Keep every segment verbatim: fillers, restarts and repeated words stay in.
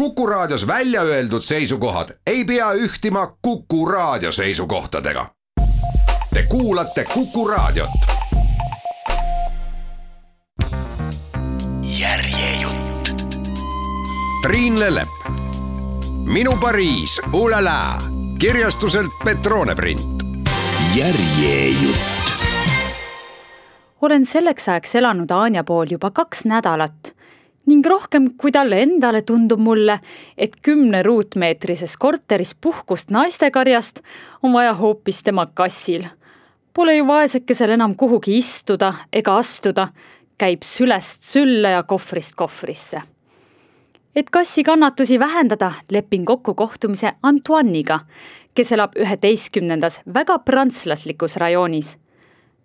Kuku Raadios välja öeldud seisukohad ei pea ühtima Kuku Raadio seisukohtadega. Te kuulate Kuku Raadiot. Järjejutt. Triin Lellep. Minu Pariis, ulala. Kirjastuselt Petrone print. Järjejutt. Olen selleks ajaks elanud Anja pool juba kaks nädalat ning rohkem kui talle endale tundub mulle, et kümne ruutmeetrises korteris puhkust naistekarjast on vaja hoopis tema kassil. Pole ju vaesekesel enam kuhugi istuda ega astuda, käib sülest sülle ja kohvrist kohvrisse. Et kassi kannatusi vähendada, lepin kokku kohtumise Antoiniga, kes elab üheteistkümnendas väga prantslaslikus rajoonis.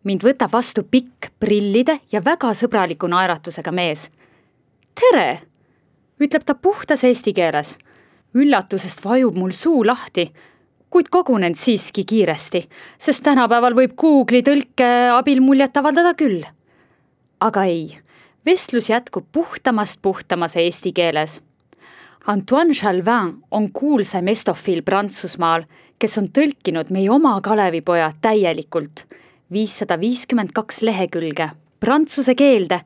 Mind võtab vastu pikk prillide ja väga sõbraliku naeratusega mees. Tere, ütleb ta puhtas eesti keeles. Üllatusest vajub mul suu lahti, kuid kogunen siiski kiiresti, sest tänapäeval võib Google'i tõlke abil muljet avaldada küll. Aga ei, vestlus jätkub puhtamast puhtamas eesti keeles. Antoine Chalvin on kuulsaim estofiil Prantsusmaal, kes on tõlkinud meie oma Kalevipoja täielikult viissada viiskümmend kaks lehekülge prantsuse keelde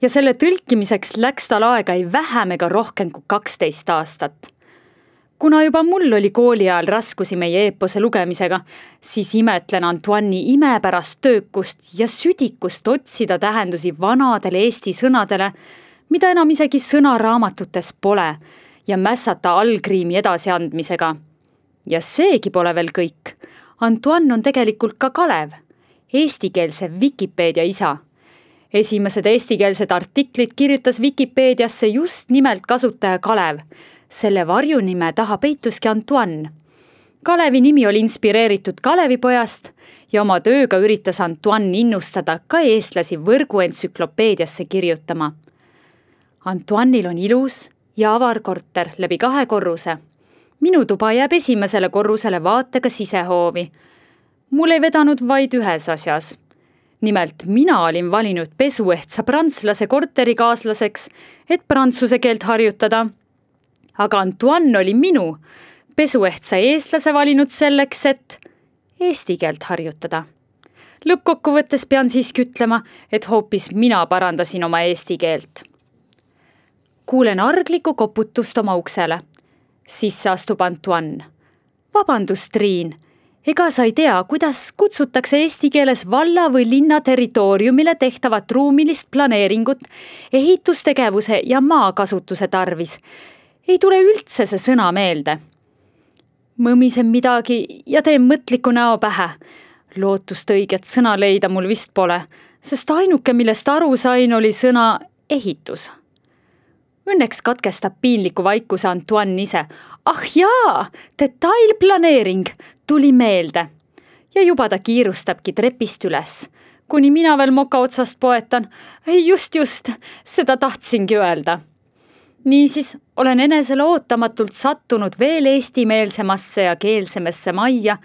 ja selle tõlkimiseks läks tal aega ei vähem ega rohkem kui kaksteist aastat. Kuna juba mul oli kooli ajal raskusi meie eepose lugemisega, siis imetlen Antoine'i imepärast töökust ja südikust otsida tähendusi vanadele eesti sõnadele, mida enam isegi sõnaraamatutes pole, ja mässata allkriimi edasiandmisega. Ja seegi pole veel kõik. Antoine on tegelikult ka Kalev, eestikeelse Wikipeedia isa. Esimesed eestikeelsed artiklid kirjutas Wikipeediasse just nimelt kasutaja Kalev. Selle varjunime taha peituski Antoine. Kalevi nimi oli inspireeritud Kalevipojast ja oma tööga üritas Antoine innustada ka eestlasi võrguentsüklopeediasse kirjutama. Antoine'il on ilus ja avar korter läbi kahe korruse. Minu tuba jääb esimesele korrusele vaatega sisehoovi. Mul ei vedanud vaid ühes asjas. Nimelt mina olin valinud pesuehtsa prantslase korterikaaslaseks, et prantsuse keelt harjutada. Aga Antoine oli minu pesuehtsa eestlase valinud selleks, et eesti keelt harjutada. Lõppkokkuvõttes pean siiski ütlema, et hoopis mina parandasin oma eesti keelt. Kuulen argliku koputust oma uksele. Sisse astub Antoine. Vabandust, Triin. Ega sa ei tea, kuidas kutsutakse eesti keeles valla või linna territooriumile tehtavat ruumilist planeeringut, ehitustegevuse ja maakasutuse tarvis. Ei tule üldse see sõna meelde. Mõmisen midagi ja teen mõtliku näo pähe. Lootust õiget sõna leida mul vist pole, sest ainuke, millest aru sain, oli sõna ehitus. Õnneks katkestab piinliku vaikuse Antoine ise. Ah jaa, detailplaneering tuli meelde. Ja juba ta kiirustabki trepist üles. Kuni mina veel moka otsast poetan. Just, just, seda tahtsingi öelda. Niisiis olen enesele ootamatult sattunud veel eestimeelsemasse ja keelsemesse majja,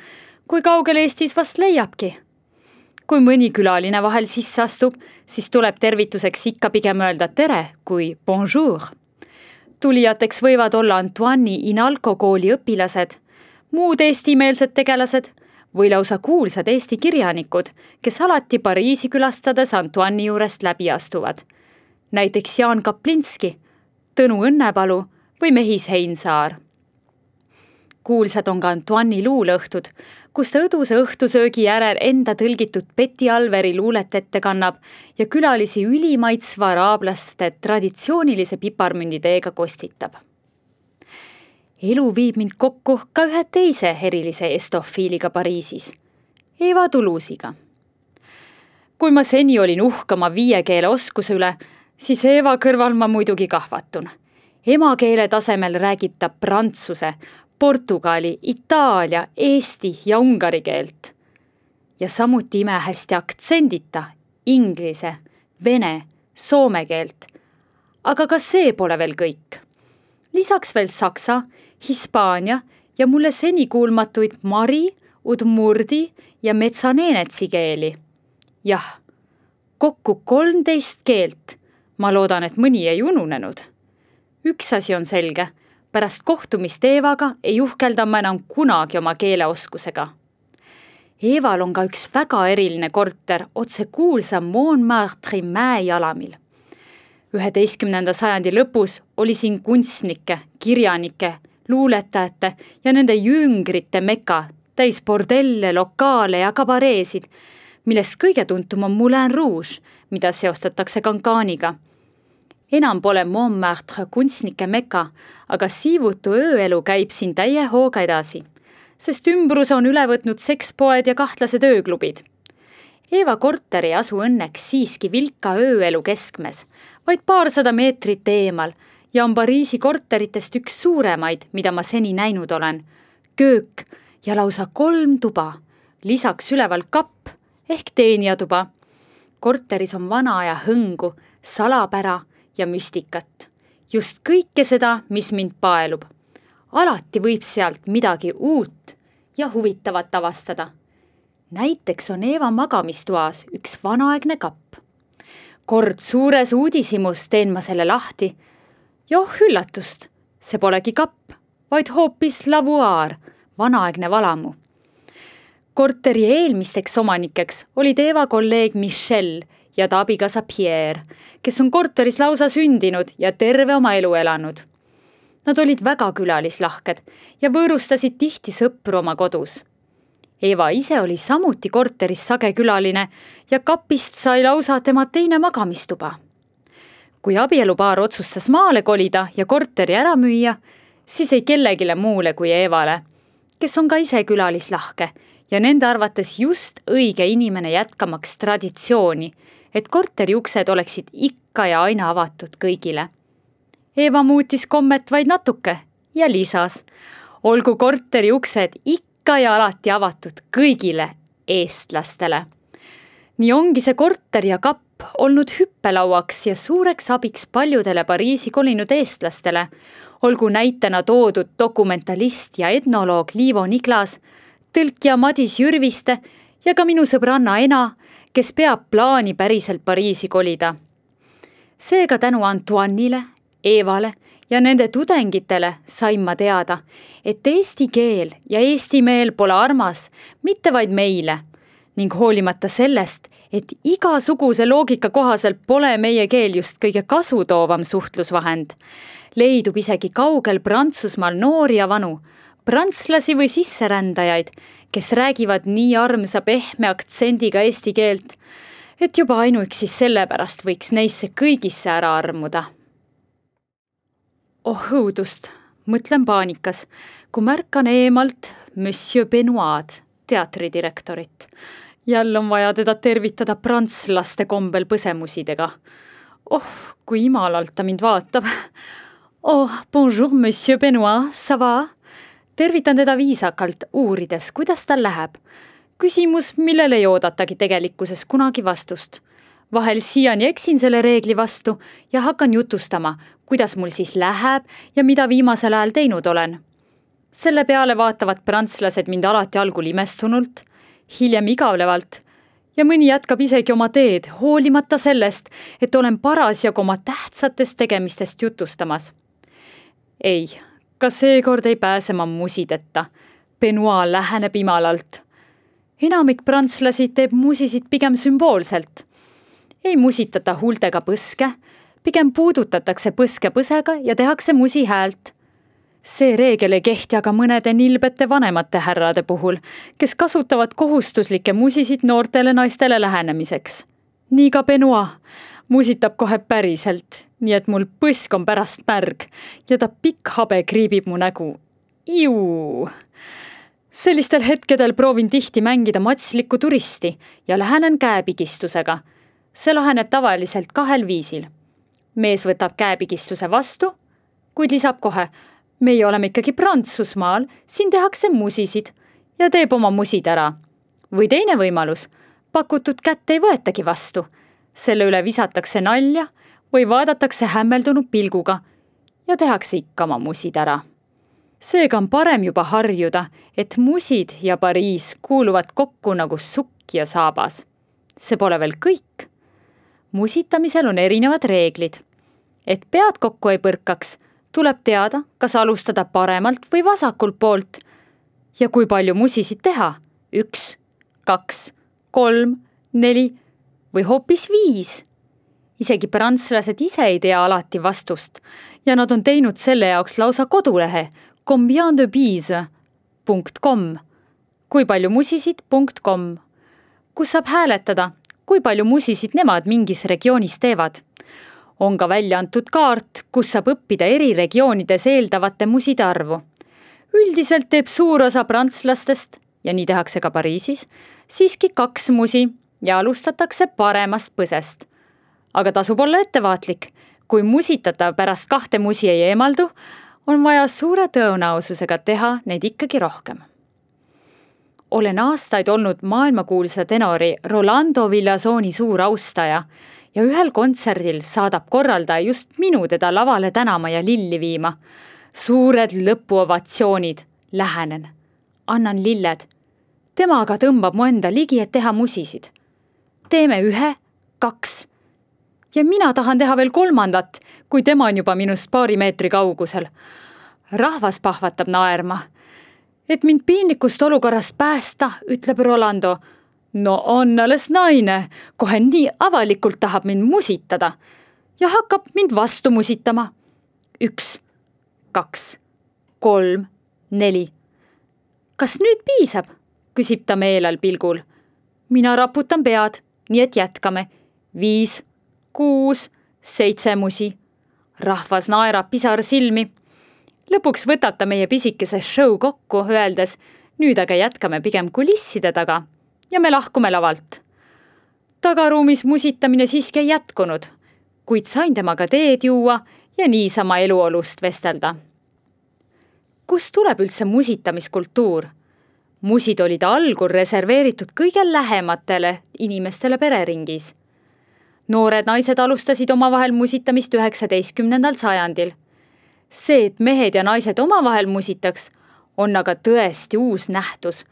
kui kaugel Eestis vast leiabki. Kui mõni külaline vahel sisse astub, siis tuleb tervituseks ikka pigem öelda tere kui bonjour. Tulijateks võivad olla Antoine'i Inalco kooli õpilased, muud eestimeelsed tegelased või lausa kuulsad eesti kirjanikud, kes alati Pariisi külastades Antoine'i juurest läbi astuvad. Näiteks Jaan Kaplinski, Tõnu Õnnepalu või Mehis Heinsaar. Kuulsad on ka Antoine'i luulõhtud, kus ta õduse õhtusöögi järel enda tõlgitud Betty Alveri luulet ette kannab ja külalisi ülimaitsva araablaste traditsioonilise piparmünditeega kostitab. Elu viib mind kokku ka ühe teise erilise estofiiliga Pariisis, Eva Toulouse'iga. Kui ma seni olin uhkama viie keele oskuse üle, siis Eva kõrval ma muidugi kahvatun. Emakeele tasemel räägib ta prantsuse, portugali, itaalia, eesti ja ungari keelt. Ja samuti imehästi aktsendita, inglise, vene, soome keelt. Aga ka see pole veel kõik. Lisaks veel saksa, hispaania ja mulle seni kuulmatuid mari, udmurdi ja metsaneenetsi keeli. Jah, kokku kolmteist keelt. Ma loodan, et mõni ei ununenud. Üks asi on selge. pärast kohtumist Eevaga ei uhkelda ma enam kunagi oma keeleoskusega. Eeval on ka üks väga eriline korter otse kuulsa Montmartre'i mäejalamil. üheteistkümnenda sajandi lõpus oli siin kunstnike, kirjanike, luuletajate ja nende jüngrite meka, täis bordelle, lokaale ja kabareesid, millest kõige tuntum on Moulin Rouge, mida seostatakse Cancan'iga. Enam pole Montmartre kunstnike meka, aga siivutu ööelu käib siin täie hooga edasi, sest ümbruse on üle võtnud sekspoed ja kahtlased ööklubid. Eeva korter ei asu õnneks siiski vilka ööelu keskmes, vaid paarsada meetrit eemal ja on Pariisi korteritest üks suuremaid, mida ma seni näinud olen. Köök ja lausa kolm tuba, lisaks üleval kapp ehk teenijatuba. Korteris on vana aja hõngu, salapära ja müstikat. Just kõike seda, mis mind paelub. Alati võib sealt midagi uut ja huvitavat avastada. Näiteks on Eeva magamistuas üks vanaaegne kapp. Kord suures uudisimus teen ma selle lahti. Ja oh üllatust, see polegi kapp, vaid hoopis lavuaar, vanaaegne valamu. Korteri eelmisteks omanikeks olid Eeva kolleeg Michel ja ta abikaasa Pierre, kes on korteris lausa sündinud ja terve oma elu elanud. Nad olid väga külalislahked ja võõrustasid tihti sõpru oma kodus. Eeva ise oli samuti korteris sage külaline ja kapist sai lausa tema teine magamistuba. Kui abielupaar otsustas maale kolida ja korteri ära müüa, siis ei kellegile muule kui Eevale, kes on ka ise külalislahke ja nende arvates just õige inimene jätkamaks traditsiooni, et korteri uksed oleksid ikka ja aina avatud kõigile. Eeva muutis kommet vaid natuke ja lisas, olgu korteri uksed ikka ja alati avatud kõigile eestlastele. Nii ongi see korter ja kapp olnud hüppelauaks ja suureks abiks paljudele Pariisi kolinud eestlastele, olgu näitena toodud dokumentalist ja etnoloog Liivo Niglas, tõlkija Madis Jürviste ja ka minu sõbranna Ena, kes peab plaani päriselt Pariisi kolida. Seega tänu Antoine'ile, Eevale ja nende tudengitele sain ma teada, et eesti keel ja eesti meel pole armas mitte vaid meile ning hoolimata sellest, et igasuguse loogika kohaselt pole meie keel just kõige kasutoovam suhtlusvahend. Leidub isegi kaugel Prantsusmaal noori ja vanu, prantslasi või sisserändajaid, kes räägivad nii armsa pehme aktsendiga eesti keelt, et juba ainuüksi sellepärast võiks neisse kõigisse ära armuda. Oh õudust, mõtlen paanikas, kui märkan eemalt Monsieur Benoit, teatridirektorit. Jälle on vaja teda tervitada prantslaste kombel põsemusidega. Oh, kui imalalt ta mind vaatab. Oh, bonjour, Monsieur Benoit, ça va? Tervitan teda viisakalt, uurides, kuidas tal läheb. Küsimus, millele ei oodatagi tegelikkuses kunagi vastust. Vahel siiani eksin selle reegli vastu ja hakkan jutustama, kuidas mul siis läheb ja mida viimasel ajal teinud olen. Selle peale vaatavad prantslased mind alati algul imestunult, hiljem igavlevalt ja mõni jätkab isegi oma teed, hoolimata sellest, et olen parasjagu oma tähtsatest tegemistest jutustamas. Ei, ka seekord ei pääse ma musideta. Benoit läheneb imalalt. Enamik prantslasi teeb musisid pigem sümboolselt. Ei musitata huultega põske, pigem puudutatakse põske põsega ja tehakse musi häält. See reegel ei kehti aga mõnede nilbete vanemate härrade puhul, kes kasutavad kohustuslikke musisid noortele naistele lähenemiseks. Nii ka Benoit musitab kohe päriselt, nii et mul põsk on pärast märg ja ta pikk habe kriibib mu nägu. Iu! Sellistel hetkedel proovin tihti mängida matslikku turisti ja lähenen käepigistusega. See laheneb tavaliselt kahel viisil. Mees võtab käepigistuse vastu, kuid lisab kohe, meie oleme ikkagi Prantsusmaal, siin tehakse musisid ja teeb oma musid ära. Või teine võimalus, pakutud kätt ei võetagi vastu. Selle üle visatakse nalja või vaadatakse hämmeldunud pilguga ja tehakse ikka oma musid ära. Seega on parem juba harjuda, et musid ja Pariis kuuluvad kokku nagu sukk ja saabas. See pole veel kõik. Musitamisel on erinevad reeglid. Et pead kokku ei põrkaks, tuleb teada, kas alustada paremalt või vasakult poolt. Ja kui palju musisid teha? Üks, kaks, kolm, neli või hoopis viis. Isegi prantslased ise ei tea alati vastust ja nad on teinud selle jaoks lausa kodulehe combien de bise punkt com, kui palju musisid punkt com, kus saab hääletada, kui palju musisid nemad mingis regioonis teevad. On ka välja antud kaart, kus saab õppida eri regioonides eeldavate muside arvu. Üldiselt teeb suur osa prantslastest, ja nii tehakse ka Pariisis, siiski kaks musi ja alustatakse paremast põsest. Aga tasub olla ettevaatlik, kui musitatav pärast kahte musi ei eemaldu, on vaja suure tõenäosusega teha neid ikkagi rohkem. Olen aastaid olnud maailmakuulsa tenori Rolando Villazoni suur austaja ja ühel kontserdil saadab korraldaja just minu teda lavale tänama ja lilli viima. Suured lõpuovatsioonid, lähenen, annan lilled. Tema aga tõmbab mu enda ligi, et teha musisid. Teeme ühe, kaks. Ja mina tahan teha veel kolmandat, kui tema on juba minust paari meetri kaugusel. Rahvas pahvatab naerma. Et mind piinlikust olukorrast päästa, ütleb Rolando. No on alles naine, kohe nii avalikult tahab mind musitada ja hakkab mind vastu musitama. Üks, kaks, kolm, neli. Kas nüüd piisab? Küsib ta meelel pilgul. Mina raputan pead, nii et jätkame. Viis, kuus, seitse musi. Rahvas naerab pisar silmi. Lõpuks võtab ta meie pisikese show kokku, öeldes, nüüd aga jätkame pigem kulisside taga ja me lahkume lavalt. Tagaruumis musitamine siiski ei jätkunud, kuid sain temaga teed juua ja niisama eluolust vestelda. Kust tuleb üldse musitamiskultuur? Musid olid algul reserveeritud kõige lähematele inimestele pereringis. Noored naised alustasid omavahel musitamist üheksateistkümnendal sajandil. See, et mehed ja naised omavahel musitaks, on aga tõesti uus nähtus,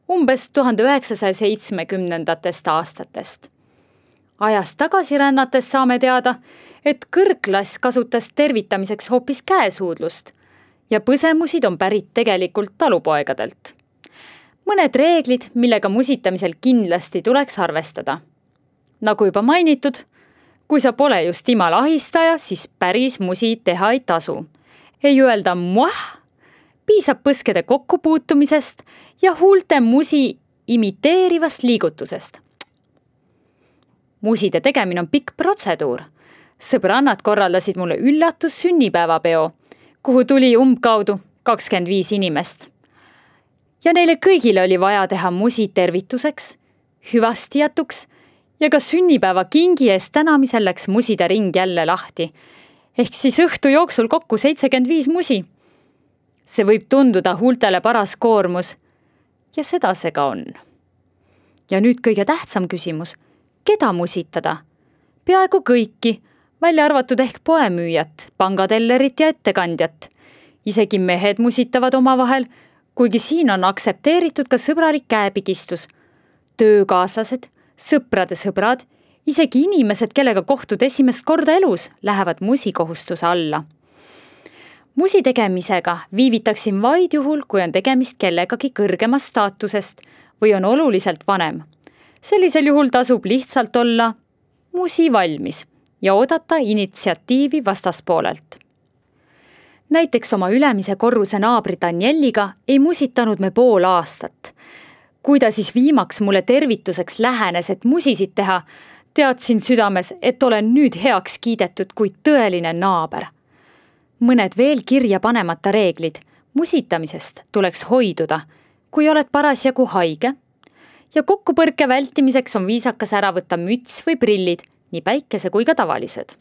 umbes tuhande üheksasaja seitsmekümnendatest aastatest. Ajast tagasi rännates saame teada, et kõrgklass kasutas tervitamiseks hoopis käesuudlust ja põsemusid on pärit tegelikult talupoegadelt. Mõned reeglid, millega musitamisel kindlasti tuleks arvestada. Nagu juba mainitud, kui sa pole just imal ahistaja, siis päris musi teha ei tasu. Ei öelda muah, piisab põskede kokkupuutumisest ja huulte musi imiteerivast liigutusest. Muside tegemine on pikk protseduur. Sõbrannad korraldasid mulle üllatus sünnipäevapeo, kuhu tuli umbkaudu kakskümmend viis inimest. Ja neile kõigile oli vaja teha musi tervituseks, hüvastijatuks ja ka sünnipäeva kingi eest tänamisel läks muside ring jälle lahti. Ehk siis õhtu jooksul kokku seitsekümmend viis musi. See võib tunduda huultele paras koormus ja seda see ka on. Ja nüüd kõige tähtsam küsimus, keda musitada? Peaaegu kõiki, välja arvatud ehk poemüüjat, pangatellerit ja ettekandjat. Isegi mehed musitavad omavahel, kuigi siin on aksepteeritud ka sõbralik käepigistus. Töökaaslased, sõprade sõbrad, isegi inimesed, kellega kohtud esimest korda elus, lähevad musikohustuse alla. Musi tegemisega viivitaksin vaid juhul, kui on tegemist kellegagi kõrgemast staatusest või on oluliselt vanem. Sellisel juhul tasub lihtsalt olla musi valmis ja oodata initsiatiivi vastaspoolelt. Näiteks oma ülemise korruse naabri Danieliga ei musitanud me pool aastat. Kui ta siis viimaks mulle tervituseks lähenes, et musisid teha, teadsin südames, et olen nüüd heaks kiidetud kui tõeline naaber. Mõned veel kirja panemata reeglid. Musitamisest tuleks hoiduda, kui oled parasjagu haige. Ja kokkupõrke vältimiseks on viisakas ära võtta müts või prillid, nii päikese kui ka tavalised.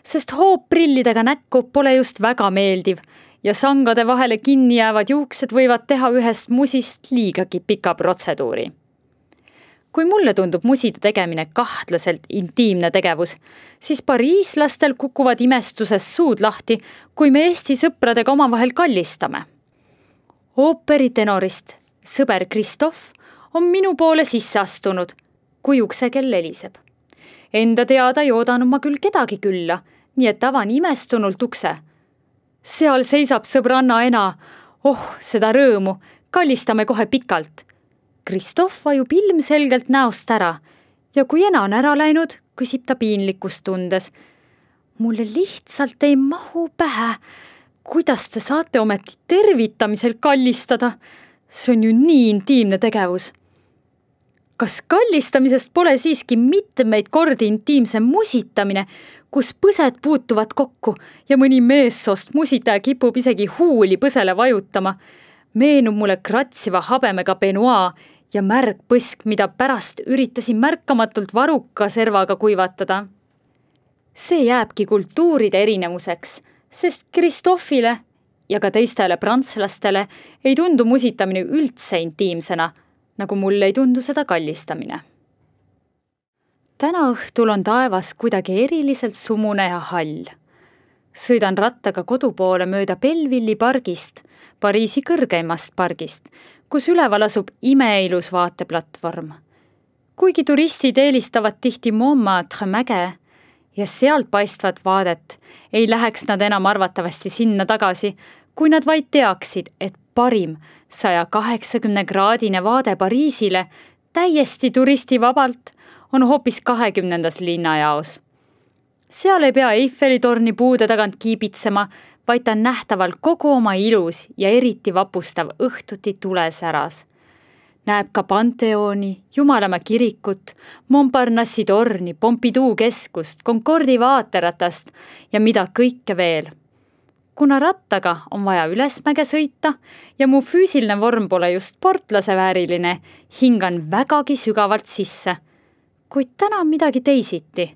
Sest hoop prillidega näkku pole just väga meeldiv ja sangade vahele kinni jäävad juuksed võivad teha ühest musist liigagi pika protseduuri. Kui mulle tundub muside tegemine kahtlaselt intiimne tegevus, siis pariislastel kukuvad imestuses suud lahti, kui me Eesti sõpradega omavahel kallistame. Ooperitenorist sõber Kristoff on minu poole sisse astunud, kui uksekell heliseb. Enda teada ei oodanud ma küll kedagi külla, nii et avan imestunult ukse. seal seisab sõbranna ena. Oh, seda rõõmu, kallistame kohe pikalt. Kristoff vajub ilmselgelt näost ära ja kui ena on ära läinud, küsib ta piinlikkust tundes. Mulle lihtsalt ei mahu pähe. Kuidas te saate ometi tervitamisel kallistada? See on ju nii intiimne tegevus. Kas kallistamisest pole siiski mitmeid kordi intiimse musitamine, kus põsed puutuvad kokku ja mõni meessoost musitaja kipub isegi huuli põsele vajutama? Meenub mulle kratsiva habemega benoit ja märg põsk, mida pärast üritasin märkamatult varuka servaga kuivatada. See jääbki kultuuride erinevuseks, sest Kristoffile ja ka teistele prantslastele ei tundu musitamine üldse intiimsena, nagu mulle ei tundu seda kallistamine. Täna õhtul on taevas kuidagi eriliselt sumune ja hall. Sõidan rattaga kodu poole mööda Belleville'i pargist, Pariisi kõrgeimast pargist, kus üleval asub imeilus vaateplatvorm. Kuigi turistid eelistavad tihti Montmartre mäge ja sealt paistvat vaadet, ei läheks nad enam arvatavasti sinna tagasi, kui nad vaid teaksid, et parim saja kaheksakümne kraadine vaade Pariisile täiesti turistivabalt on hoopis kahekümnendas linnajaos. Seal ei pea Eiffeli torni puude tagant kiibitsema, vaid ta on nähtaval kogu oma ilus ja eriti vapustav õhtuti tulesäras. Näeb ka Panteoni, Jumalamäe kirikut, Montparnassi torni, Pompidou keskust, Concordi vaateratast ja mida kõike veel. Kuna rattaga on vaja ülesmäge sõita ja mu füüsiline vorm pole just sportlase vääriline, hingan vägagi sügavalt sisse. Kuid täna on midagi teisiti.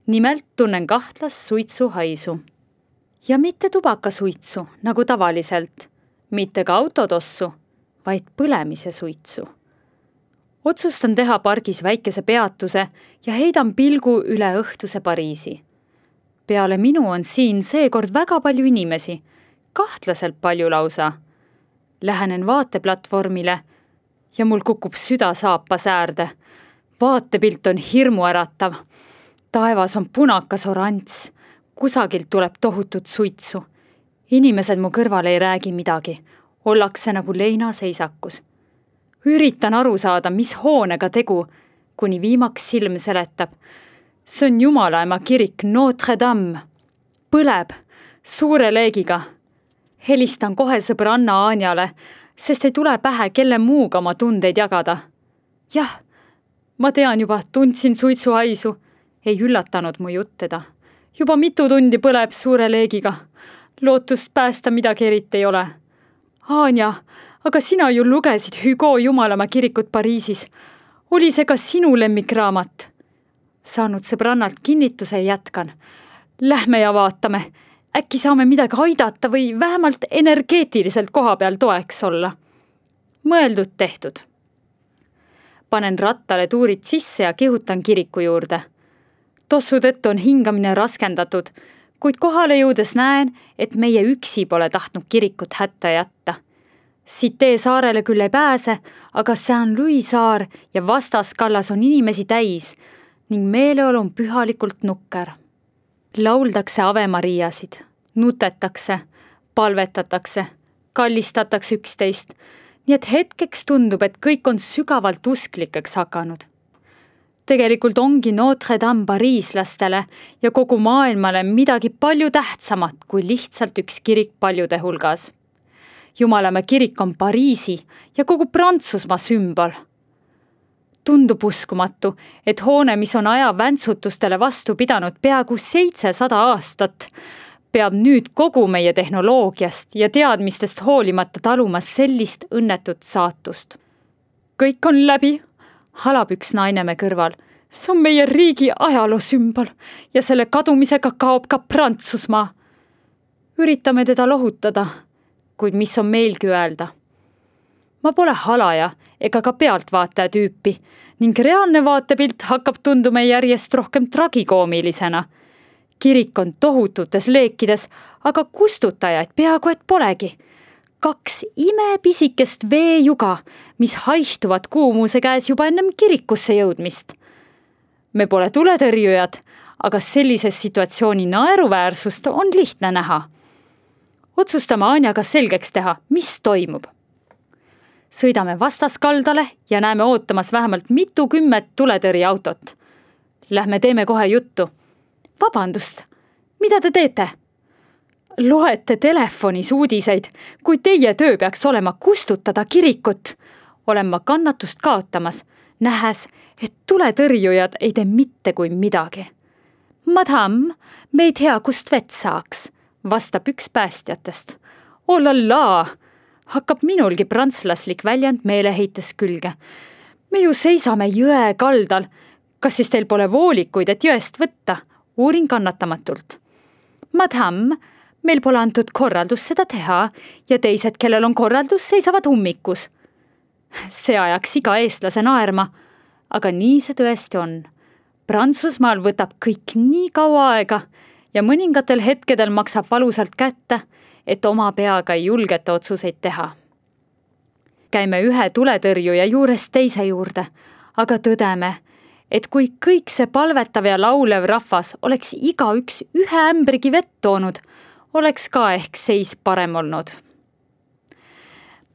Nimelt tunnen kahtlas suitsu haisu. Ja mitte tubakasuitsu, nagu tavaliselt, mitte ka autotossu, vaid põlemise suitsu. Otsustan teha pargis väikese peatuse ja heidan pilgu üle õhtuse Pariisi. Peale minu on siin seekord väga palju inimesi, kahtlaselt palju lausa. Lähenen vaateplatvormile ja mul kukub süda saapa säärde. Vaatepilt on hirmuäratav. Taevas on punakas orants. Kusagilt tuleb tohutut suitsu. Inimesed mu kõrval ei räägi midagi. Ollakse nagu leinaseisakus. Üritan aru saada, mis hoonega tegu, kuni viimaks silm seletab. See on Jumalaema kirik Notre Dame. Põleb suure leegiga. Helistan kohe sõbranna Anjale, sest ei tule pähe, kelle muuga oma tundeid jagada. Jah, ma tean juba, tundsin suitsu haisu. Ei üllatanud mu jutt teda. Juba mitu tundi põleb suure leegiga. Lootust päästa midagi eriti ei ole. Anja, aga sina ju lugesid Hugo Jumalamäe kirikut Pariisis. Oli see ka sinu lemmikraamat? Saanud sõbrannalt kinnituse jätkan. Lähme ja vaatame. Äkki saame midagi aidata või vähemalt energeetiliselt koha peal toeks olla. Mõeldud tehtud. Panen rattale tuurid sisse ja kihutan kiriku juurde. Tossu tõttu on hingamine raskendatud, kuid kohale jõudes näen, et meie üksi pole tahtnud kirikut hätta jätta. Siit saarele küll ei pääse, aga Saint-Louis saar ja vastaskallas on inimesi täis ning meeleolu on pühalikult nukker. Lauldakse Ave Mariasid, nutetakse, palvetatakse, kallistatakse üksteist, nii et hetkeks tundub, et kõik on sügavalt usklikeks hakanud. Tegelikult ongi Notre Dame pariislastele ja kogu maailmale midagi palju tähtsamat kui lihtsalt üks kirik paljude hulgas. Jumalamäe kirik on Pariisi ja kogu Prantsusmaa sümbol. Tundub uskumatu, et hoone, mis on aja väntsutustele vastu pidanud peaaegu seitsesada aastat, peab nüüd kogu meie tehnoloogiast ja teadmistest hoolimata talumas sellist õnnetut saatust. Kõik on läbi. Halab üks naine me kõrval. See on meie riigi ajaloo sümbol ja selle kadumisega kaob ka Prantsusmaa. Üritame teda lohutada, kuid mis on meilgi öelda. Ma pole halaja ega ka pealtvaataja tüüpi ning reaalne vaatepilt hakkab tunduma järjest rohkem tragikoomilisena. Kirik on tohututes leekides, aga kustutajaid peaaegu et polegi. Kaks imepisikest veejuga, mis haihtuvad kuumuse käes juba ennem kirikusse jõudmist. Me pole tuletõrjujad, aga sellises situatsiooni naeruväärsust on lihtne näha. otsustame Anjaga selgeks teha, mis toimub. Sõidame vastaskaldale ja näeme ootamas vähemalt mitukümmet tuletõrjeautot. Lähme teeme kohe juttu. Vabandust, mida te teete? Loete telefonis uudiseid, kui teie töö peaks olema kustutada kirikut. Olen ma kannatust kaotamas, nähes, et tuletõrjujad ei tee mitte kui midagi. Madam, me ei tea, kust vett saaks, vastab üks päästjatest. Olallaa, hakkab minulgi prantslaslik väljend meeleheites külge. Me ju seisame jõe kaldal. Kas siis teil pole voolikuid, et jõest võtta? Uurin kannatamatult. Madam, meil pole antud korraldus seda teha ja teised, kellel on korraldus, seisavad ummikus. See ajaks iga eestlase naerma, aga nii see tõesti on. Prantsusmaal võtab kõik nii kaua aega ja mõningatel hetkedel maksab valusalt kätte, et oma peaga ei julgeta otsuseid teha. Käime ühe tuletõrjuja juurest teise juurde, aga tõdeme, et kui kõik see palvetav ja laulev rahvas oleks iga üks ühe ämbrigi vett toonud, oleks ka ehk seis parem olnud.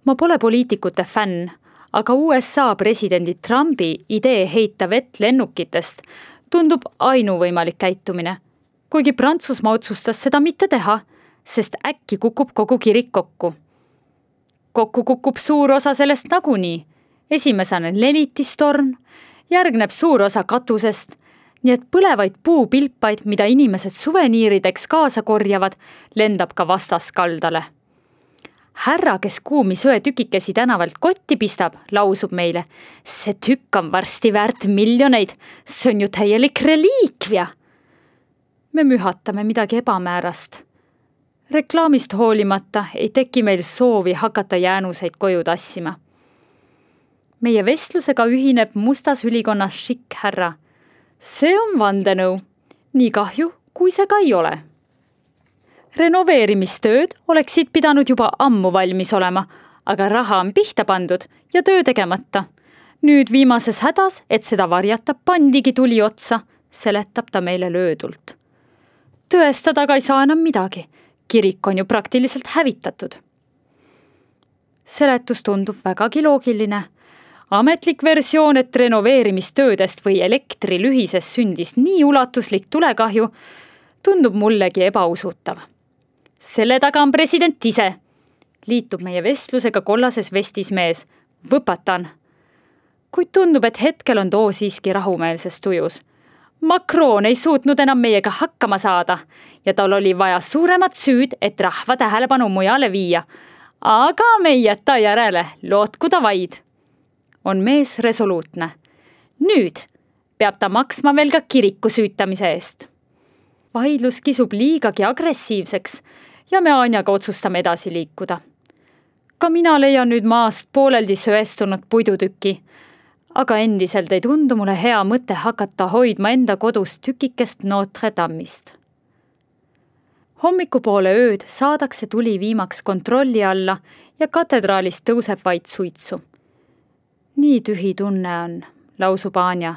Ma pole poliitikute fänn, aga U S A presidendi Trumpi idee heita vett lennukitest tundub ainuvõimalik käitumine, kuigi Prantsusmaa otsustas seda mitte teha, sest äkki kukub kogu kirik kokku. Kokku kukub suur osa sellest nagunii, esimesena lelitistorn, järgneb suur osa katusest, nii et põlevaid puupilpaid, mida inimesed suveniirideks kaasa korjavad, lendab ka vastaskaldale. Härra, kes kuumi söetükikesi tänavalt kotti pistab, lausub meile, see tükk on varsti väärt miljoneid, see on ju täielik reliikvia. Me mühatame midagi ebamäärast. Reklaamist hoolimata ei teki meil soovi hakata jäänuseid koju tassima. Meie vestlusega ühineb mustas ülikonnas šikk härra. See on vandenõu, nii kahju, kui see ka ei ole. Renoveerimistööd oleksid pidanud juba ammu valmis olema, aga raha on pihta pandud ja töö tegemata. Nüüd viimases hädas, et seda varjata, pandigi tuli otsa, seletab ta meile löödult. Tõestada ka ei saa enam midagi. Kirik on ju praktiliselt hävitatud. Seletus tundub vägagi loogiline. Ametlik versioon, et renoveerimistöödest või elektrilühises sündis nii ulatuslik tulekahju, tundub mullegi ebausutav. Selle taga on president ise. Liitub meie vestlusega kollases vestis mees. Võpatan. Kuid tundub, et hetkel on too siiski rahumeelses tujus. Macron ei suutnud enam meiega hakkama saada ja tal oli vaja suuremat süüd, et rahva tähelepanu mujale viia. Aga me ei jäta järele, lootkuda vaid. On mees resoluutne. Nüüd peab ta maksma veel ka kiriku süütamise eest. Vaidlus kisub liigagi agressiivseks ja me Anjaga otsustame edasi liikuda. Ka mina leian nüüd maast pooleldi söestunud puidutüki, aga endiselt ei tundu mulle hea mõte hakata hoidma enda kodus tükikest Notre Dame'ist. Hommikupoole ööd saadakse tuli viimaks kontrolli alla ja katedraalist tõuseb vaid suitsu. Nii tühi tunne on, lausub Anja.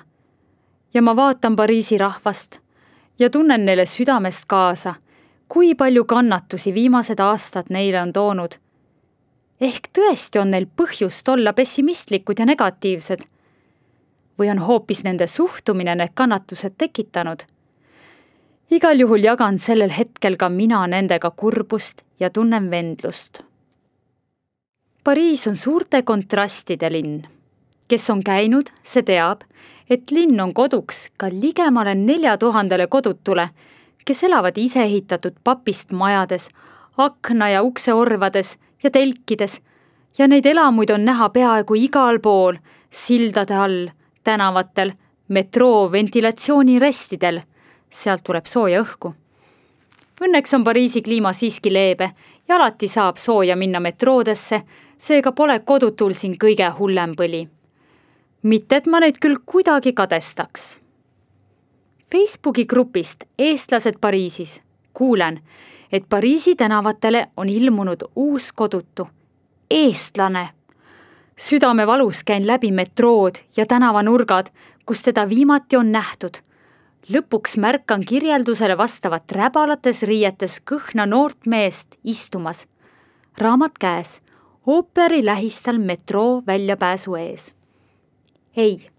Ja ma vaatan Pariisi rahvast ja tunnen neile südamest kaasa, kui palju kannatusi viimased aastad neile on toonud. Ehk tõesti on neil põhjust olla pessimistlikud ja negatiivsed. Või on hoopis nende suhtumine need kannatused tekitanud. Igal juhul jagan sellel hetkel ka mina nendega kurbust ja tunnen vendlust. Pariis on suurte kontrastide linn. Kes on käinud, see teab, et linn on koduks ka ligemale nelja tuhandele kodutule, kes elavad ise ehitatud papist majades, akna ja ukse orvades ja telkides ja neid elamuid on näha peaaegu igal pool, sildade all, tänavatel, metroo ventilatsioonirestidel. Sealt tuleb sooja õhku. Õnneks on Pariisi kliima siiski leebe ja alati saab sooja minna metroodesse, seega pole kodutul siin kõige hullem põli. Mitte, et ma neid küll kuidagi kadestaks. Facebooki grupist Eestlased Pariisis kuulen, et Pariisi tänavatele on ilmunud uus kodutu. Eestlane. Südamevalus käin läbi metrood ja tänavanurgad, kus teda viimati on nähtud. lõpuks märkan kirjeldusele vastavat räbalates riietes kõhna noort meest istumas, raamat käes, ooperi lähistel metroo väljapääsu ees. Ei,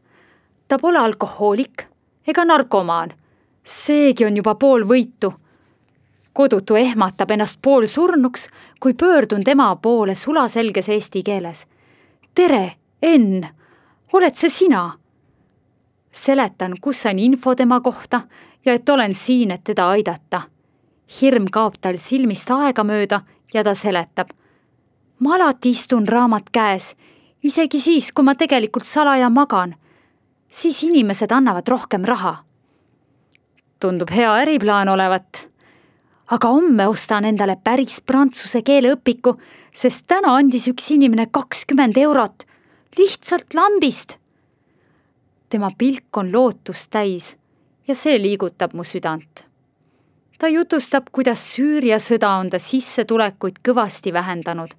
ta pole alkohoolik ega narkomaan, seegi on juba pool võitu. Kodutu ehmatab ennast pool surnuks, kui pöördun tema poole sulaselges eesti keeles. Tere, Enn, oled see sina? Seletan, kus sain info tema kohta ja et olen siin, et teda aidata. Hirm kaob tal silmist aega mööda ja ta seletab. Ma alati istun raamat käes, isegi siis, kui ma tegelikult salaja magan. Siis inimesed annavad rohkem raha. Tundub hea äriplaan olevat. Aga homme ostan endale päris prantsuse keele õpiku, sest täna andis üks inimene kakskümmend eurot. Lihtsalt lambist. Tema pilk on lootust täis ja see liigutab mu südant. Ta jutustab, kuidas Süüria sõda on ta sissetulekuid kõvasti vähendanud,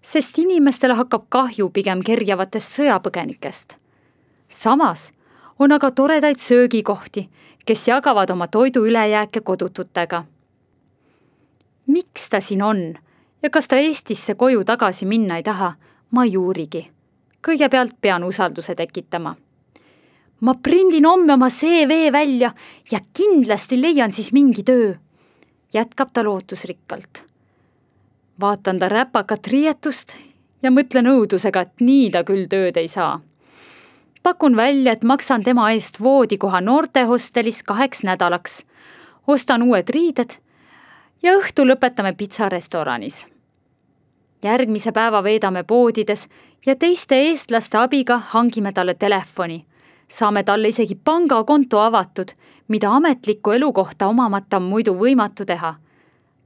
sest inimestele hakkab kahju pigem kerjavatest sõjapõgenikest. Samas on aga toredaid söögikohti, kes jagavad oma toidu ülejääke kodututega. Miks ta siin on ja kas ta Eestisse koju tagasi minna ei taha, ma ei uurigi. Kõigepealt pean usalduse tekitama. Ma prindin homme oma C V välja ja kindlasti leian siis mingi töö, jätkab ta lootusrikkalt. Vaatan ta räpakat riietust ja mõtlen õudusega, et nii ta küll tööd ei saa. Pakun välja, et maksan tema eest voodikoha noortehostelis kaheks nädalaks, ostan uued riided ja õhtu lõpetame pitsarestoranis. Järgmise päeva veedame poodides ja teiste eestlaste abiga hangime talle telefoni. Saame talle isegi pangakonto avatud, mida ametliku elukohta omamata on muidu võimatu teha.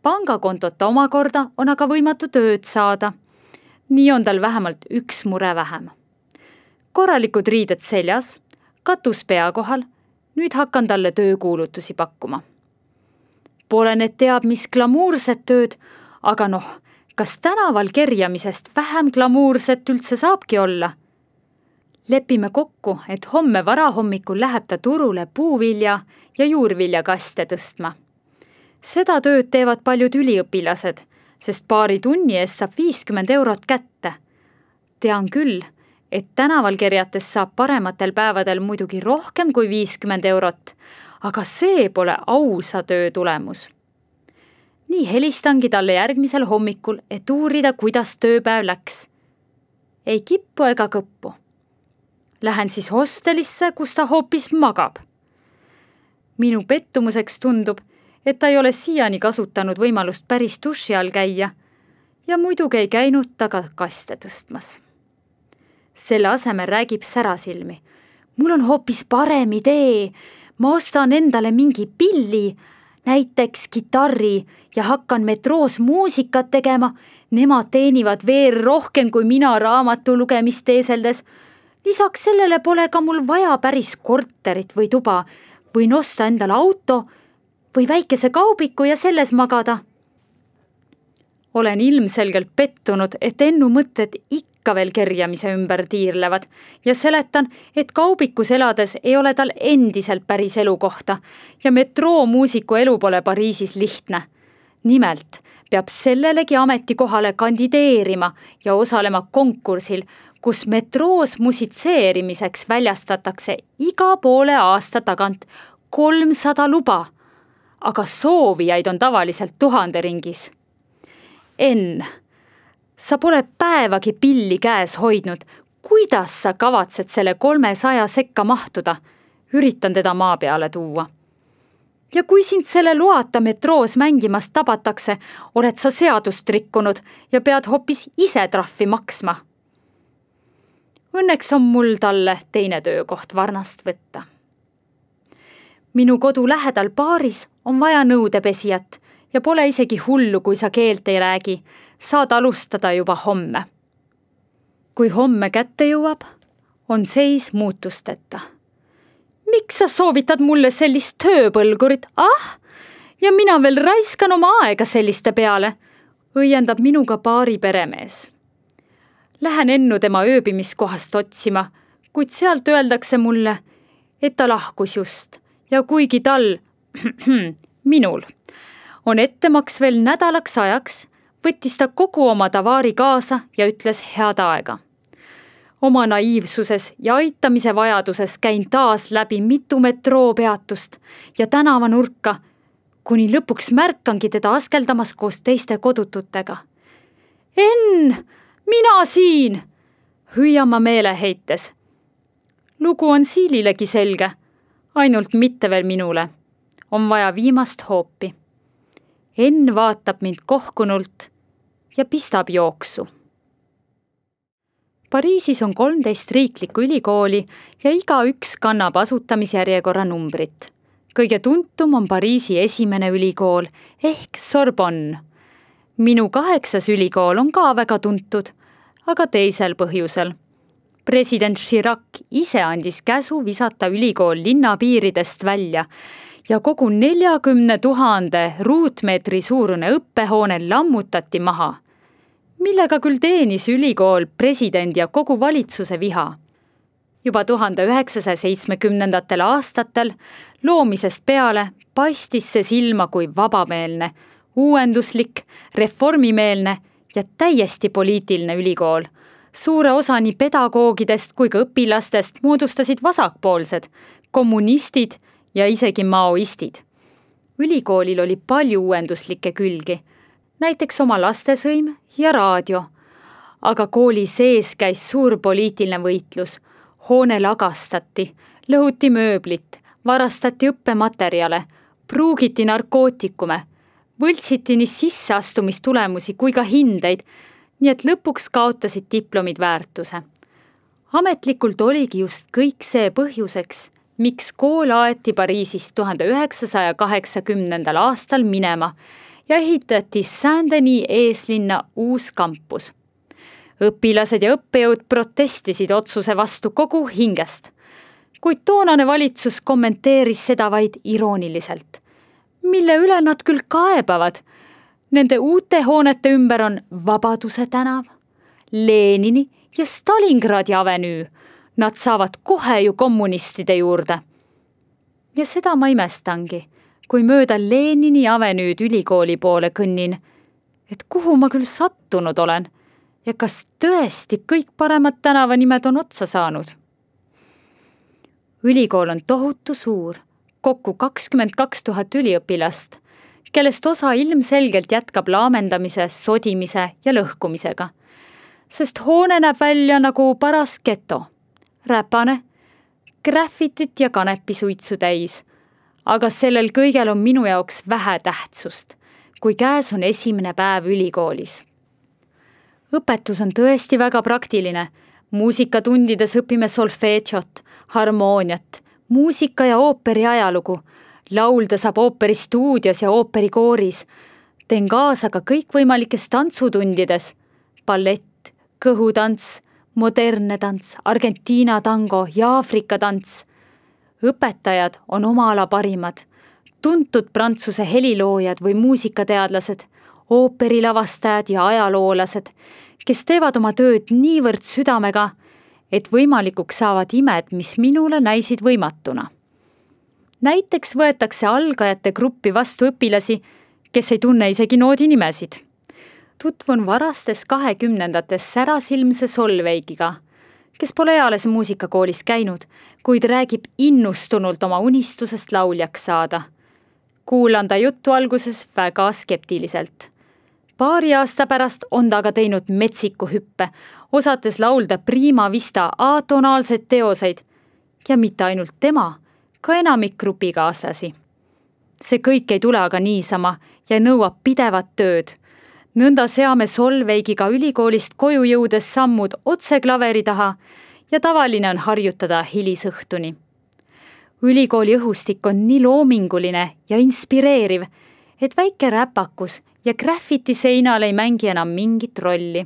Pangakontot omakorda on aga võimatu tööd saada. Nii on tal vähemalt üks mure vähem. Korralikud riided seljas, katus pea kohal, nüüd hakkan talle töökuulutusi pakkuma. Pole need teab mis glamuurset tööd, aga noh, kas tänaval kerjamisest vähem glamuurset üldse saabki olla? Lepime kokku, et homme varahommikul läheb ta turule puuvilja ja juurviljakaste tõstma. Seda tööd teevad paljud üliõpilased, sest paari tunni eest saab viiskümmend eurot kätte. Tean küll, et tänaval kerjates saab parematel päevadel muidugi rohkem kui viiskümmend eurot, aga see pole ausa töö tulemus. Nii helistangi talle järgmisel hommikul, et uurida, kuidas tööpäev läks. Ei kippu ega kõppu. Lähen siis hostelisse, kus ta hoopis magab. Minu pettumuseks tundub, et ta ei ole siiani kasutanud võimalust päris duši all käia ja muidugi ei käinud ta ka kaste tõstmas. Selle asemel räägib särasilmi. Mul on hoopis parem idee. Ma ostan endale mingi pilli, näiteks kitarri ja hakkan metroos muusikat tegema. Nemad teenivad veel rohkem kui mina raamatu lugemist teeseldes. Lisaks sellele pole ka mul vaja päris korterit või tuba. Võin osta endale auto või väikese kaubiku ja selles magada. Olen ilmselgelt pettunud, et Ennu mõtted ikka veel kerjamise ümber tiirlevad ja seletan, et kaubikus elades ei ole tal endiselt päris elukohta ja metroo muusiku elu pole Pariisis lihtne. Nimelt peab sellelegi ametikohale kandideerima ja osalema konkursil, kus metroos musitseerimiseks väljastatakse iga poole aasta tagant kolmsada luba, aga soovijaid on tavaliselt tuhande ringis. Enn, sa pole päevagi pilli käes hoidnud. Kuidas sa kavatsed selle kolmesaja sekka mahtuda? Üritan teda maa peale tuua. Ja kui sind selle loata metroos mängimast tabatakse, oled sa seadust rikkunud ja pead hoopis ise trahvi maksma. Õnneks on mul talle teine töökoht varnast võtta. Minu kodu lähedal baaris on vaja nõudepesijat ja pole isegi hullu, kui sa keelt ei räägi. Saad alustada juba homme. Kui homme kätte jõuab, on seis muutusteta. Miks sa soovitad mulle sellist tööpõlgurit? Ah, ja mina veel raiskan oma aega selliste peale, õiendab minuga baari peremees. Lähen Ennu tema ööbimiskohast otsima, kuid sealt öeldakse mulle, et ta lahkus just ja kuigi tal, minul, on ettemaks veel nädalaks ajaks, võttis ta kogu oma tavaari kaasa ja ütles head aega. Oma naiivsuses ja aitamise vajaduses käin taas läbi mitu metroopeatust ja tänavanurka, kuni lõpuks märkangi teda askeldamas koos teiste kodututega. Enn, mina siin, hüüan ma meeleheites. Lugu on Siililegi selge, ainult mitte veel minule. On vaja viimast hoopi. Enn vaatab mind kohkunult ja pistab jooksu. Pariisis on kolmteist riiklikku ülikooli ja igaüks kannab asutamisjärjekorra numbrit. Kõige tuntum on Pariisi esimene ülikool ehk Sorbonne. Minu kaheksas ülikool on ka väga tuntud, aga teisel põhjusel. President Chirac ise andis käsu visata ülikool linnapiiridest välja ja kogu neljakümne tuhande ruutmeetri suurune õppehoone lammutati maha, millega küll teenis ülikool presidendi ja kogu valitsuse viha. Juba tuhande üheksasaja seitsmekümnendatel aastatel loomisest peale paistis see silma kui vabameelne, uuenduslik, reformimeelne ja täiesti poliitiline ülikool. Suure osa nii pedagoogidest kui ka õpilastest moodustasid vasakpoolsed, kommunistid ja isegi maoistid. Ülikoolil oli palju uuenduslikke külgi, näiteks oma lastesõim ja raadio. Aga kooli sees käis suur poliitiline võitlus. Hoone lagastati, lõhuti mööblit, varastati õppematerjale, pruugiti narkootikume, võltsiti nii sisseastumistulemusi kui ka hindeid, nii et lõpuks kaotasid diplomid väärtuse. Ametlikult oligi just kõik see põhjuseks, miks kool aeti Pariisist tuhande üheksasaja kaheksakümnendal aastal minema ja ehitati Saint-Denis eeslinna uus kampus. Õpilased ja õppejõud protestisid otsuse vastu kogu hingest, kuid toonane valitsus kommenteeris seda vaid irooniliselt. Mille üle nad küll kaebavad? Nende uute hoonete ümber on Vabaduse tänav, Lenini ja Stalingradi avenüü. Nad saavad kohe ju kommunistide juurde. Ja seda ma imestangi, kui mööda Lenini avenüüd ülikooli poole kõnnin, et kuhu ma küll sattunud olen ja kas tõesti kõik paremad tänavanimed on otsa saanud. Ülikool on tohutu suur, kokku kakskümmend kaks tuhat üliõpilast, kellest osa ilmselgelt jätkab laamendamise, sodimise ja lõhkumisega, sest hoone näeb välja nagu paras geto, räpane, graffitit ja kanepisuitsu täis, aga sellel kõigel on minu jaoks vähe tähtsust, kui käes on esimene päev ülikoolis. Õpetus on tõesti väga praktiline. Muusikatundides õpime solfeedžot, harmooniat, muusika ja ooperi ajalugu. Laulda saab ooperistuudios ja ooperikooris. Teen kaasa ka kõikvõimalikes tantsutundides. Ballett, kõhutants, modernne tants, Argentiina tango ja Aafrika tants. Õpetajad on oma ala parimad. Tuntud prantsuse heliloojad või muusikateadlased, ooperilavastajad ja ajaloolased, kes teevad oma tööd niivõrd südamega, et võimalikuks saavad imed, mis minule näisid võimatuna. Näiteks võetakse algajate gruppi vastu õpilasi, kes ei tunne isegi noodi nimesid. Tutvun varastes kahekümnendates särasilmse Solveigiga, kes pole eales muusikakoolis käinud, kuid räägib innustunult oma unistusest lauljaks saada. Kuulan ta juttu alguses väga skeptiliselt. Paari aasta pärast on ta aga teinud metsiku hüppe, osates laulda prima vista atonaalseid teoseid ja mitte ainult tema, ka enamik grupikaaslasi. See kõik ei tule aga niisama ja nõuab pidevat tööd. Nõnda seame Solveigiga ülikoolist koju jõudes sammud otse klaveri taha ja tavaline on harjutada hilisõhtuni. Ülikooli õhustik on nii loominguline ja inspireeriv, et väike räpakus ja graffiti seinal ei mängi enam mingit rolli.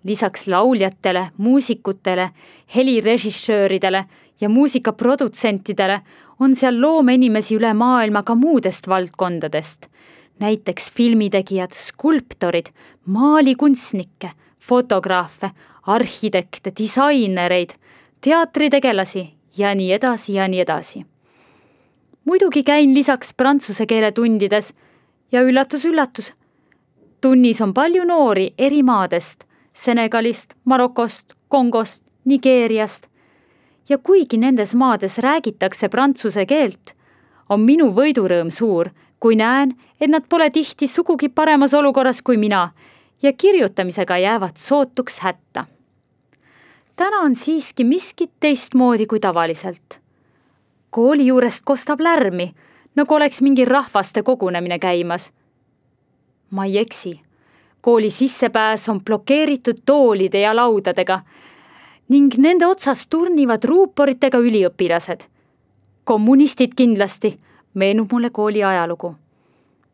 Lisaks lauljatele, muusikutele, helirežissööridele ja muusikaprodutsentidele on seal loomeinimesi üle maailma ka muudest valdkondadest. Näiteks filmitegijad, skulptorid, maalikunstnikke, fotograafe, arhitekte, disainereid, teatritegelasi ja nii edasi ja nii edasi. muidugi käin lisaks prantsuse keele tundides ja üllatus-üllatus. Tunnis on palju noori eri maadest, Senegalist, Marokost, Kongost, Nigeeriast. Ja kuigi nendes maades räägitakse prantsuse keelt, on minu võidurõõm suur, kui näen, et nad pole tihti sugugi paremas olukorras kui mina ja kirjutamisega jäävad sootuks hätta. Täna on siiski miskit teistmoodi kui tavaliselt. Kooli juurest kostab lärmi, nagu oleks mingi rahvaste kogunemine käimas. Ma ei eksi. Kooli sissepääs on blokeeritud toolide ja laudadega ning nende otsas turnivad ruuporitega üliõpilased. Kommunistid kindlasti, meenub mulle kooli ajalugu.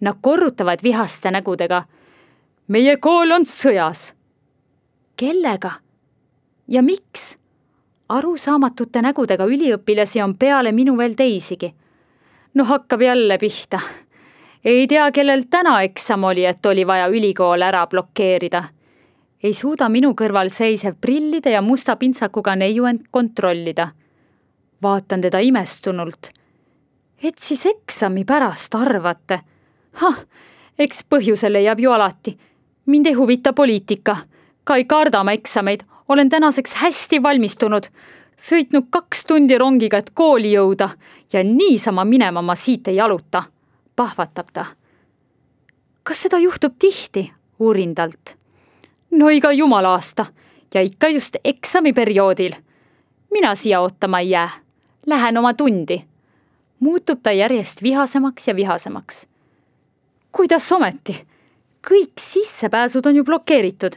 Nad korrutavad vihaste nägudega. Meie kool on sõjas. Kellega? Ja miks? Arusaamatute nägudega üliõpilasi on peale minu veel teisigi. No hakkab jälle pihta. Ei tea, kellel täna eksam oli, et oli vaja ülikool ära blokeerida. Ei suuda minu kõrval seisev prillide ja musta pintsakuga neiu end kontrollida. Vaatan teda imestunult. Et siis eksami pärast arvate? Hah, eks põhjuse leiab ju alati. Mind ei huvita poliitika. Ka ei karda ma eksameid. Olen tänaseks hästi valmistunud. Sõitnud kaks tundi rongiga, et kooli jõuda ja niisama minema ma siit ei jaluta. Pahvatab ta. Kas seda juhtub tihti? Uurin talt. No iga jumala aasta ja ikka just eksamiperioodil. Mina siia ootama ei jää. Lähen oma tundi. Muutub ta järjest vihasemaks ja vihasemaks. Kuidas ometi? Kõik sissepääsud on ju blokeeritud.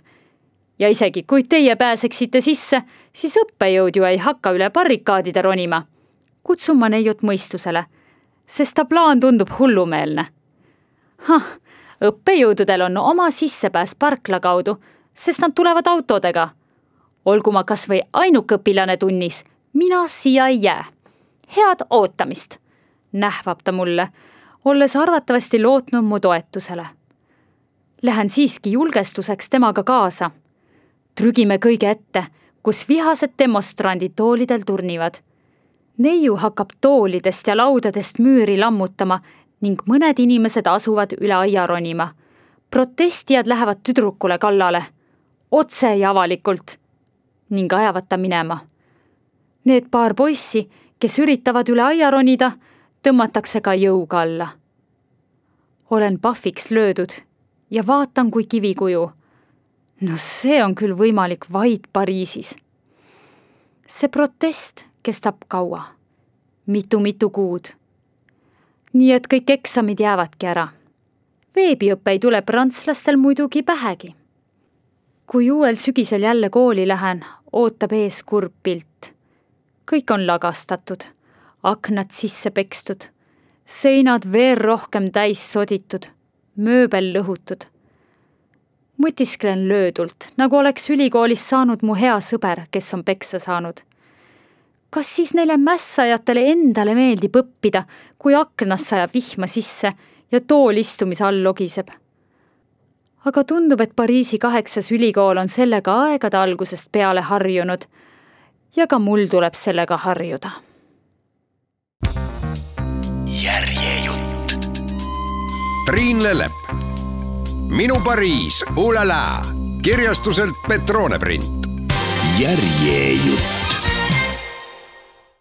Ja isegi kui teie pääseksite sisse, siis õppejõud ju ei hakka üle barrikaadide ronima. Kutsun ma neiut mõistusele, sest ta plaan tundub hullumeelne. Hah, õppejõududel on oma sissepääs parkla kaudu, sest nad tulevad autodega. Olgu ma kas või ainukõpilane tunnis, mina siia ei jää. Head ootamist, nähvab ta mulle, olles arvatavasti lootnud mu toetusele. Lähen siiski julgestuseks temaga kaasa. Trügime kõige ette, kus vihased demonstrandid toolidel turnivad. Neiu hakkab toolidest ja laudadest müüri lammutama ning mõned inimesed asuvad üle aia ronima. Protestijad lähevad tüdrukule kallale, otse ja avalikult, ning ajavad ta minema. Need paar poissi, kes üritavad üle aia ronida, tõmmatakse ka jõuga alla. Olen pahviks löödud ja vaatan kui kivikuju. No see on küll võimalik vaid Pariisis. See protest kestab kaua, mitu-mitu kuud. Nii et kõik eksamid jäävadki ära. Veebiõppe ei tule prantslastel muidugi pähegi. Kui uuel sügisel jälle kooli lähen, ootab ees kurb pilt. Kõik on lagastatud, aknad sisse pekstud, seinad veel rohkem täis soditud, mööbel lõhutud. Mõtisklen löödult, nagu oleks ülikoolis saanud mu hea sõber, kes on peksa saanud. Kas siis neile mässajatele endale meeldib õppida, kui aknas sajab vihma sisse ja tool istumise all logiseb? Aga tundub, et Pariisi kaheksas ülikool on sellega aegade algusest peale harjunud ja ka mul tuleb sellega harjuda. Järjejutt. Triin Lellep. Minu Pariis, ulala, kirjastuselt Petrone print. Järjejutt.